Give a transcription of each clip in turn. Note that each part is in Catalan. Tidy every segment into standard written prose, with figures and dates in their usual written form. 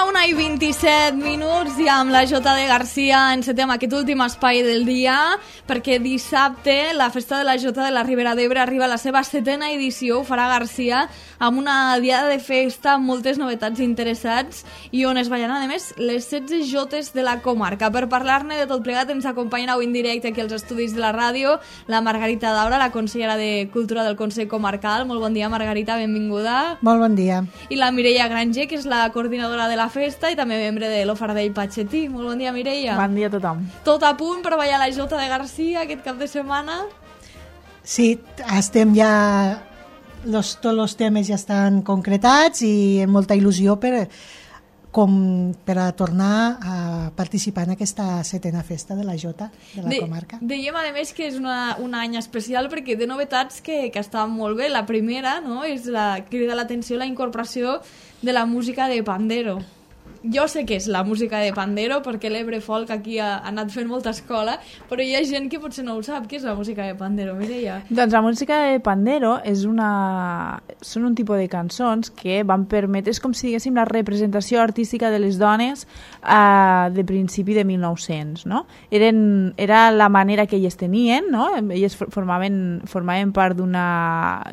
la 1:27 i amb la Jota de Garcia encetem aquest últim espai del dia perquè dissabte la Festa de la Jota de la Ribera d'Ebre arriba a la seva 7ª edició. Ho farà Garcia amb una diada de festa amb moltes novetats interessants i on es ballaran a més les 16 jotes de la comarca. Per parlar-ne de tot plegat ens acompanyen avui en directe aquí als estudis de la ràdio la Margarita Daura, la consellera de Cultura del Consell Comarcal. Molt bon dia, Margarita, benvinguda. Molt bon dia. I la Mireia Granger, que és la coordinadora de la festa i també membre de l'Ofardell Patxetí. Molt bon dia, Mireia. Bon dia a tothom. Tot a punt per ballar la Jota de Garcia aquest cap de setmana? Sí, estem ja... tots els temes ja estan concretats i amb molta il·lusió per a tornar a participar en aquesta 7ª festa de la Jota de la comarca. Dèiem, a més, que és un any especial perquè de novetats que estan molt bé. La primera, no?, és crida l'atenció la incorporació de la música de pandero. Jo sé què és la música de pandero perquè l'Ebre Folk aquí ha anat fent molta escola, però hi ha gent que potser no ho sap. Què és la música de pandero, Mireia? Doncs la música de pandero són un tipus de cançons que van permetre, és com si diguéssim la representació artística de les dones de principi de 1900, no? Era la manera que elles tenien, no? Elles formaven part d'una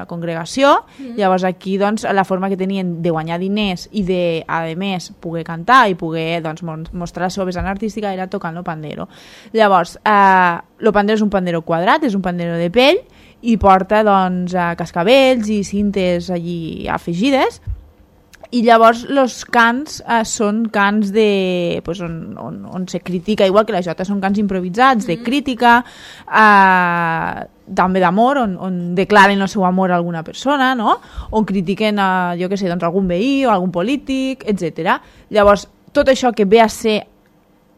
congregació, llavors aquí doncs, la forma que tenien de guanyar diners i de, a més, poder cantar i poder doncs, mostrar la seva vessant artística era tocant el pandero. Llavors, el pandero és un pandero quadrat, és un pandero de pell i porta doncs, cascavells i cintes allí afegides. I llavors els cants són cants de, pues, on se critica, igual que la jota, són cants improvisats, de crítica, també d'amor, on declaren el seu amor a alguna persona, no? On critiquen jo què sé, doncs, algun veí o algun polític, etc. Llavors, tot això que ve a ser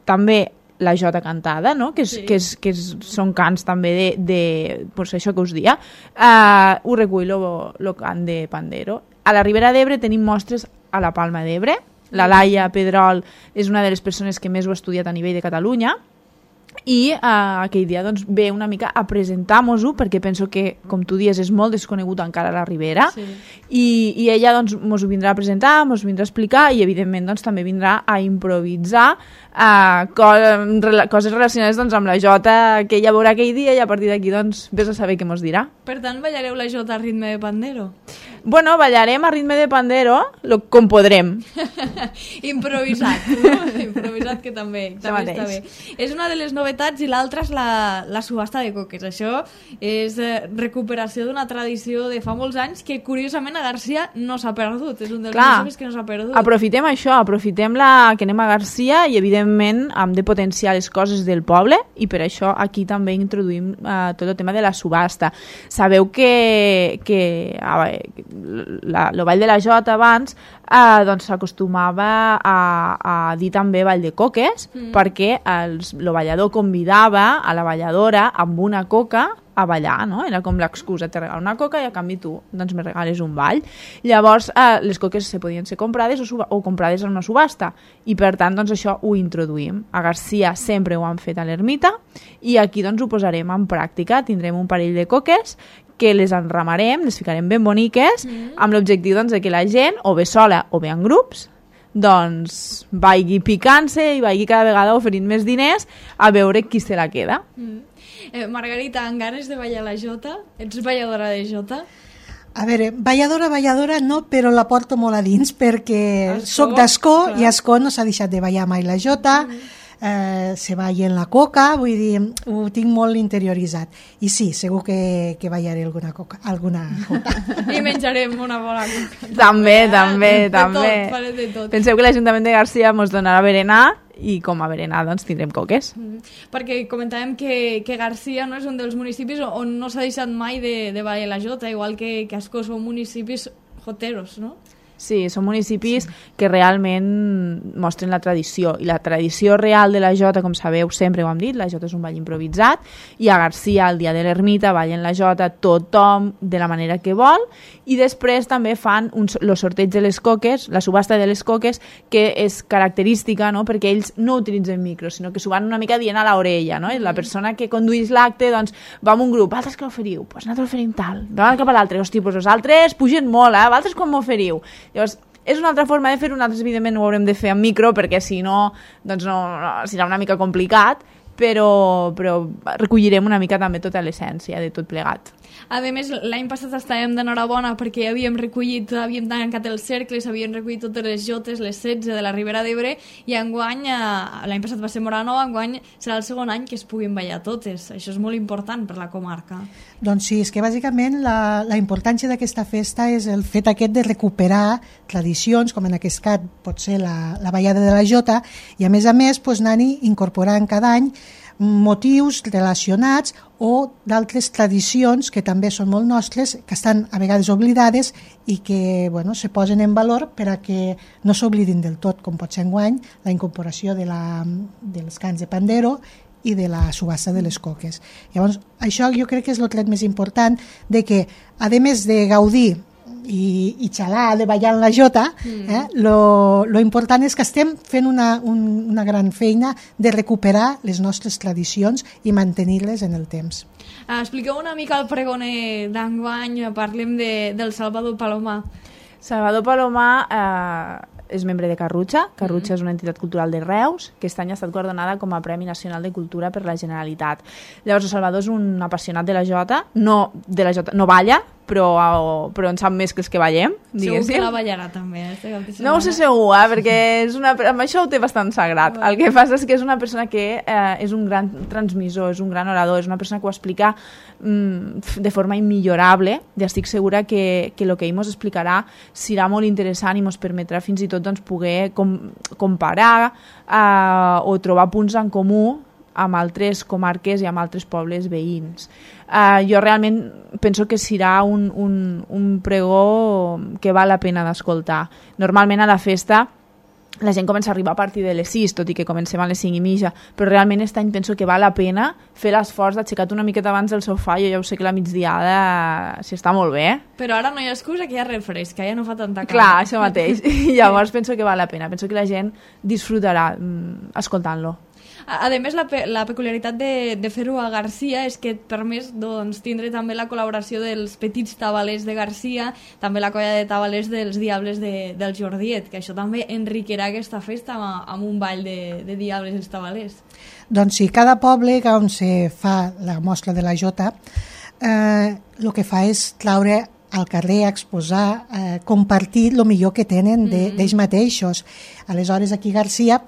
també la jota cantada, no? Són cants també de pues, això que us dia, ho recull el cant de pandero. A la Ribera d'Ebre tenim mostres a la Palma d'Ebre. La Laia Pedrol és una de les persones que més ho ha estudiat a nivell de Catalunya i aquell dia doncs, ve una mica a presentar-nos-ho perquè penso que, com tu dius, és molt desconegut encara a la Ribera, sí. I ella doncs, mos ho vindrà a presentar, mos ho vindrà a explicar i evidentment doncs, també vindrà a improvisar coses relacionades doncs, amb la jota que ella veurà aquell dia i a partir d'aquí doncs, vés a saber què mos dirà. Per tant, ballareu la jota a ritme de pandero? Bueno, ballarem a ritme de pandero com podrem. Improvisat, no? Improvisat, que també està bé. És una de les novetats i l'altra és la subhasta de coques. Això és recuperació d'una tradició de fa molts anys que, curiosament, a Garcia no s'ha perdut. És un dels municipis que no s'ha perdut. Aprofitem això, aprofitem que anem a Garcia i, evidentment, hem de potenciar les coses del poble i per això aquí també introduïm tot el tema de la subhasta. Sabeu que el ball de la jota abans doncs s'acostumava a dir també ball de coques perquè el ballador convidava a la balladora amb una coca a ballar, no? Era com l'excusa, te regalo una coca i a canvi tu doncs me regales un ball. Llavors les coques se podien ser comprades o comprades en una subhasta i per tant doncs això ho introduïm. A Garcia sempre ho han fet a l'ermita i aquí doncs ho posarem en pràctica. Tindrem un parell de coques que les enramarem, les ficarem ben boniques amb l'objectiu doncs, de que la gent, o bé sola o bé en grups, doncs vagi picant-se i vagi cada vegada oferint més diners a veure qui se la queda. Margarita, amb ganes de ballar la jota? Ets balladora de jota? A veure, balladora no, però la porto molt a dins perquè soc d'Ascó i a Ascó no s'ha deixat de ballar mai la jota. Se balla en la coca, vull dir, ho tinc molt interioritzat i sí, segur que ballaré alguna jota. I menjarem una bona coca. També. De tot. Penseu que l'Ajuntament de Garcia ens donarà berenar i com a berenar doncs tindrem coques. Perquè comentàvem que Garcia no és un dels municipis on no s'ha deixat mai de ballar la jota, igual que Ascó són municipis joteros, no? Sí, són municipis que realment mostren la tradició i la tradició real de la jota, com sabeu, sempre ho hem dit, la jota és un ball improvisat i a Garcia, el dia de l'ermita, ballen la jota tothom de la manera que vol i després també fan el sorteig de les coques, la subhasta de les coques, que és característica, no? Perquè ells no utilitzen micros, sinó que s'ho van una mica dient a l'orella, no? I la persona que conduís l'acte doncs, va amb un grup, altres que l'oferiu, doncs nosaltres oferim tal, davant cap a l'altre, hosti, doncs els altres pugen molt, vosaltres quan m'oferiu? Llavors, És una altra forma de fer-ho, nosaltres evidentment ho haurem de fer en micro, perquè si no, doncs no serà una mica complicat, però recollirem una mica també tota l'essència de tot plegat. A més, l'any passat estàvem d'enhorabona perquè havíem tancat els cercles, havíem recollit totes les jotes, les 16 de la Ribera d'Ebre, i enguany, l'any passat va ser Moranova, enguany serà el segon any que es puguin ballar totes. Això és molt important per la comarca. Doncs sí, és que bàsicament la importància d'aquesta festa és el fet aquest de recuperar tradicions, com en aquest cas pot ser la ballada de la jota, i a més doncs, anar-hi incorporant cada any motius relacionats o d'altres tradicions que també són molt nostres, que estan a vegades oblidades i que se posen en valor per a que no s'oblidin del tot, com pot ser enguany la incorporació dels cants de pandero i de la subhasta de les coques. Llavors, això jo crec que és el tret més important, de que, a més de gaudir i xalar, de ballar en la jota, lo important és que estem fent una gran feina de recuperar les nostres tradicions i mantenir-les en el temps. Expliqueu una mica el pregoner d'enguany, parlem del Salvador Palomar. Salvador Palomar és membre de Carrutxa. Carrutxa és una entitat cultural de Reus, que aquest any ha estat guardonada com a Premi Nacional de Cultura per la Generalitat. Llavors, el Salvador és un apassionat de la jota, no balla, però en sap més que els que ballem, diguéssim. Segur que la ballarà també. No ho sé segur, perquè amb això ho té bastant sagrat. El que passa és que és una persona que és un gran transmissor, és un gran orador, és una persona que ho explica de forma immillorable, i estic segura que el que ell ens explicarà serà molt interessant i ens permetrà fins i tot poder comparar o trobar punts en comú amb altres comarques i amb altres pobles veïns. Jo realment penso que serà un pregó que val la pena d'escoltar. Normalment a la festa la gent comença a arribar a partir de les 6, tot i que comencem a les 5 i mitja, però realment aquest any penso que val la pena fer l'esforç d'aixecar-te una miqueta abans del sofà. Jo ja ho sé que la migdiada s'hi està molt bé. Però ara no hi ha excusa, que ja refresca, ja no fa tanta calor. Clar, això mateix. I llavors penso que val la pena. Penso que la gent disfrutarà escoltant-lo. A més, la peculiaritat de fer-ho a Garcia és que et permet tindre també la col·laboració dels petits tabalers de Garcia, també la colla de tabalers dels Diables del Jordiet, que això també enriquirà aquesta festa amb un ball de Diables i els tabalers. Doncs sí, cada poble on se fa la mostra de la jota, el que fa és traure al carrer, exposar, compartir el millor que tenen d'ells mateixos. Aleshores, aquí a Garcia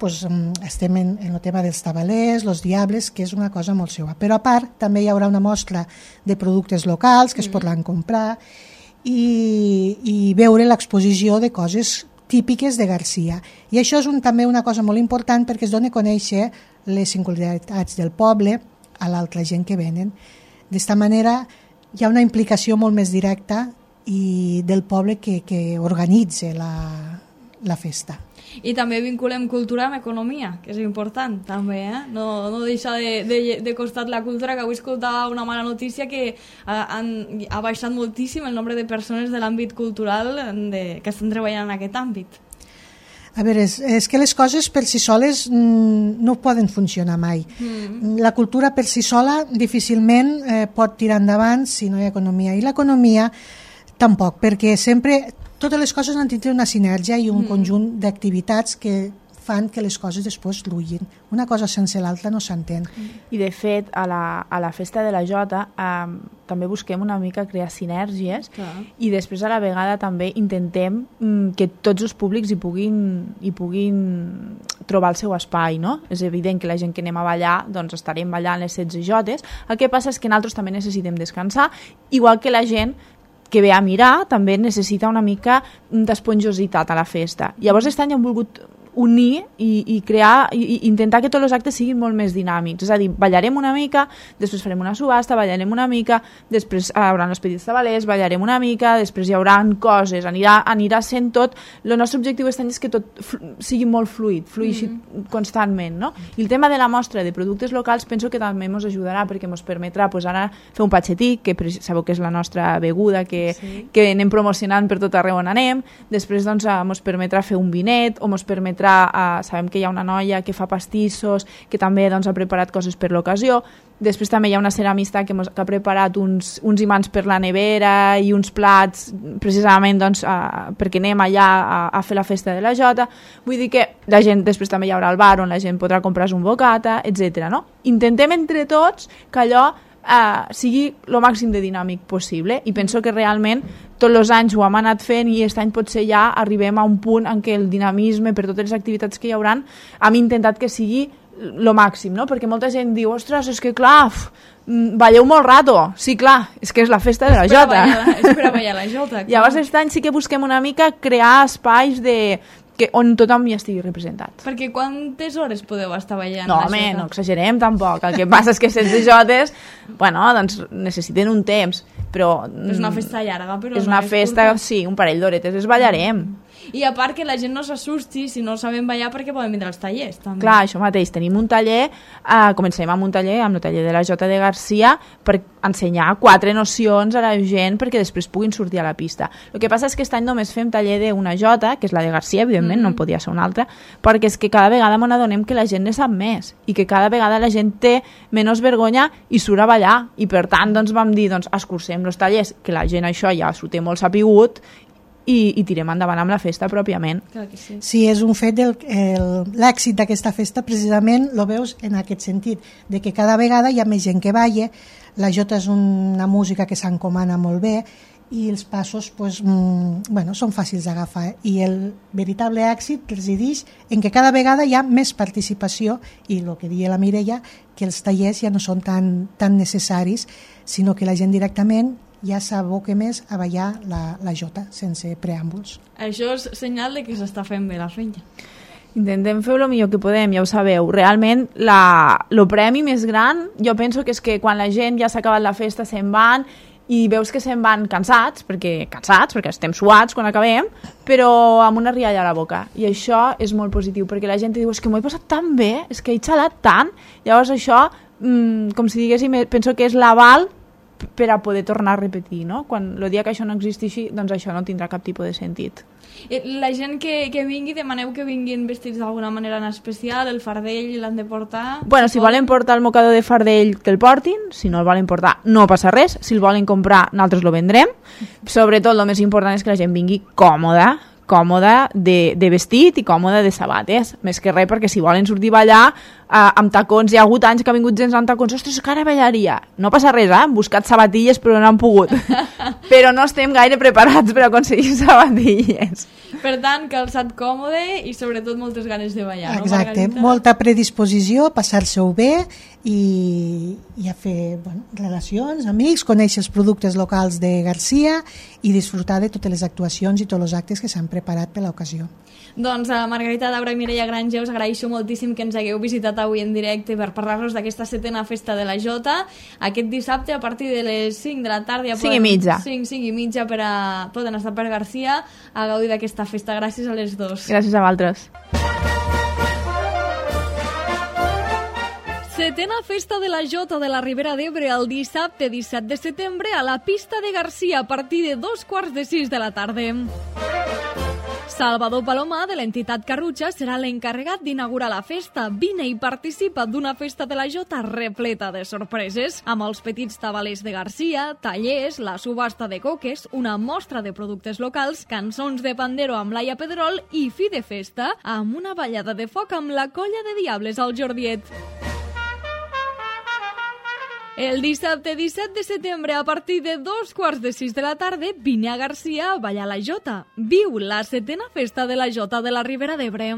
estem en el tema dels tabalers, els diables, que és una cosa molt seva. Però a part, també hi haurà una mostra de productes locals que es podran comprar i veure l'exposició de coses típiques de Garcia. I això és també una cosa molt important perquè es dona a conèixer les singularitats del poble a l'altra gent que venen. D'esta manera hi ha una implicació molt més directa i del poble que organitza la festa. I també vinculem cultura amb economia, que és important també, no deixar de costat la cultura, que avui escoltava una mala notícia que ha baixat moltíssim el nombre de persones de l'àmbit cultural que estan treballant en aquest àmbit. A veure, és que les coses per si soles no poden funcionar mai. La cultura per si sola difícilment pot tirar endavant si no hi ha economia. I l'economia tampoc, perquè sempre totes les coses han de tenir una sinergia i un conjunt d'activitats que fan que les coses després fluïn. Una cosa sense l'altra no s'entén. I de fet, a la festa de la jota també busquem una mica crear sinergies i després a la vegada també intentem que tots els públics hi puguin trobar el seu espai, no? És evident que la gent que anem a ballar doncs estarem ballant les 16 jotes. El que passa és que nosaltres també necessitem descansar, igual que la gent que ve a mirar també necessita una mica d'esponjositat a la festa. Llavors aquest any hem volgut unir i crear i intentar que tots els actes siguin molt més dinàmics, és a dir, ballarem una mica, després farem una subhasta, ballarem una mica, després hi haurà els petits tabalers, ballarem una mica, després hi haurà coses, anirà sent tot. El nostre objectiu aquest any és que tot sigui molt fluïxi constantment, no? I el tema de la mostra de productes locals penso que també ens ajudarà perquè ens permetrà ara fer un patxetí, que sabeu que és la nostra beguda que anem promocionant per tot arreu on anem, després ens permetrà fer un vinet o ens permetrà l'altra sabem que hi ha una noia que fa pastissos, que també doncs, ha preparat coses per l'ocasió. Després també hi ha una ceramista que ha preparat uns imants per la nevera i uns plats precisament doncs, perquè anem allà a fer la festa de la Jota. Vull dir que la gent, després també hi haurà el bar on la gent podrà comprar un bocata, etc. No? Intentem entre tots que allò sigui el màxim de dinàmic possible i penso que realment tots els anys ho hem anat fent i aquest any potser ja arribem a un punt en què el dinamisme per totes les activitats que hi hauran hem intentat que sigui lo màxim, no? Perquè molta gent diu, ostres, és que clar, balleu molt rato. Sí, clar, és que és la festa de la Jota. És per a ballar la Jota. Llavors, aquest any sí que busquem una mica crear espais on tothom hi estigui representat. Perquè quantes hores podeu estar ballant no, la home, Jota? No exagerem tampoc. El que passa és que 16 jotes, bueno, doncs necessiten un temps, però... És una festa llarga, però és una festa, sí, un parell d'horetes, es ballarem. I a part que la gent no s'assusti si no sabem ballar perquè poden vindre als tallers també. Clar, això mateix, tenim un taller, comencem amb un taller, amb el taller de la Jota de Garcia, per ensenyar 4 nocions a la gent perquè després puguin sortir a la pista. El que passa és que aquest any només fem taller d'una Jota, que és la de Garcia, evidentment, no podia ser una altra, perquè és que cada vegada m'on adonem que la gent ne sap més i que cada vegada la gent té menys vergonya i surt a ballar, i per tant doncs, vam dir, doncs, escurcem els tallers, que la gent això ja s'ho té molt sapigut, i tirem endavant amb la festa pròpiament. Clar que sí. Sí, és un fet, l'èxit d'aquesta festa precisament lo veus en aquest sentit, de que cada vegada hi ha més gent que balla, la Jota és una música que s'encomana molt bé i els passos pues, són fàcils d'agafar i el veritable èxit resideix en que cada vegada hi ha més participació i el que deia la Mireia, que els tallers ja no són tan necessaris, sinó que la gent directament ja s'aboca més a ballar la Jota sense preàmbuls. Això és senyal de que s'està fent bé la feina. Intentem fer el millor que podem, ja ho sabeu. Realment, el premi més gran, jo penso que és que quan la gent ja s'ha acabat la festa se'n van i veus que se'n van cansats perquè estem suats quan acabem, però amb una rialla a la boca. I això és molt positiu, perquè la gent diu, és que m'ho he passat tan bé, és que he xalat tant. Llavors això, com si diguéssim, penso que és l'aval per a poder tornar a repetir, no? Quan el dia que això no existeixi, doncs això no tindrà cap tipus de sentit. La gent que vingui, demaneu que vinguin vestits d'alguna manera en especial, el fardell l'han de portar... Bueno, si volen portar el mocador de fardell, que el portin, si no el volen portar, no passa res, si el volen comprar, nosaltres lo vendrem. Sobretot, el més important és que la gent vingui còmoda de vestit i còmoda de sabates, més que res, perquè si volen sortir a ballar amb tacons, hi ha hagut anys que ha vingut gent amb tacons, ostres, que ara ballaria, no passa res, hem buscat sabatilles però no han pogut però no estem gaire preparats per aconseguir sabatilles. Per tant, calçat còmode i sobretot moltes ganes de ballar. Exacte, no, molta predisposició, passar-se-ho bé i a fer relacions, amics, conèixer els productes locals de Garcia i disfrutar de totes les actuacions i tots els actes que s'han preparat per l'ocasió. Doncs Margarita Daura i Mireia Granger, us agraeixo moltíssim que ens hagueu visitat avui en directe per parlar-nos d'aquesta 7a festa de la Jota. Aquest dissabte a partir de les 5 de la tarda 5:30 poden estar per Garcia a gaudir d'aquesta festa. Gràcies a les dos. Gràcies a vosaltres. 7a festa de la Jota de la Ribera d'Ebre el dissabte 17 de setembre a la pista de Garcia a partir de 5:45 de la tarda. Salvador Palomar, de l'entitat Carrutxa, serà l'encarregat d'inaugurar la festa. Vine i participa d'una festa de la Jota repleta de sorpreses, amb els petits tabalers de Garcia, tallers, la subhasta de coques, una mostra de productes locals, cançons de pandero amb Laia Pedrol i fi de festa amb una ballada de foc amb la colla de Diables al Jordiet. El dissabte 17 de setembre, a partir de 5:45 de la tarda, vine a Garcia a ballar la Jota. Viu la 7a festa de la Jota de la Ribera d'Ebre.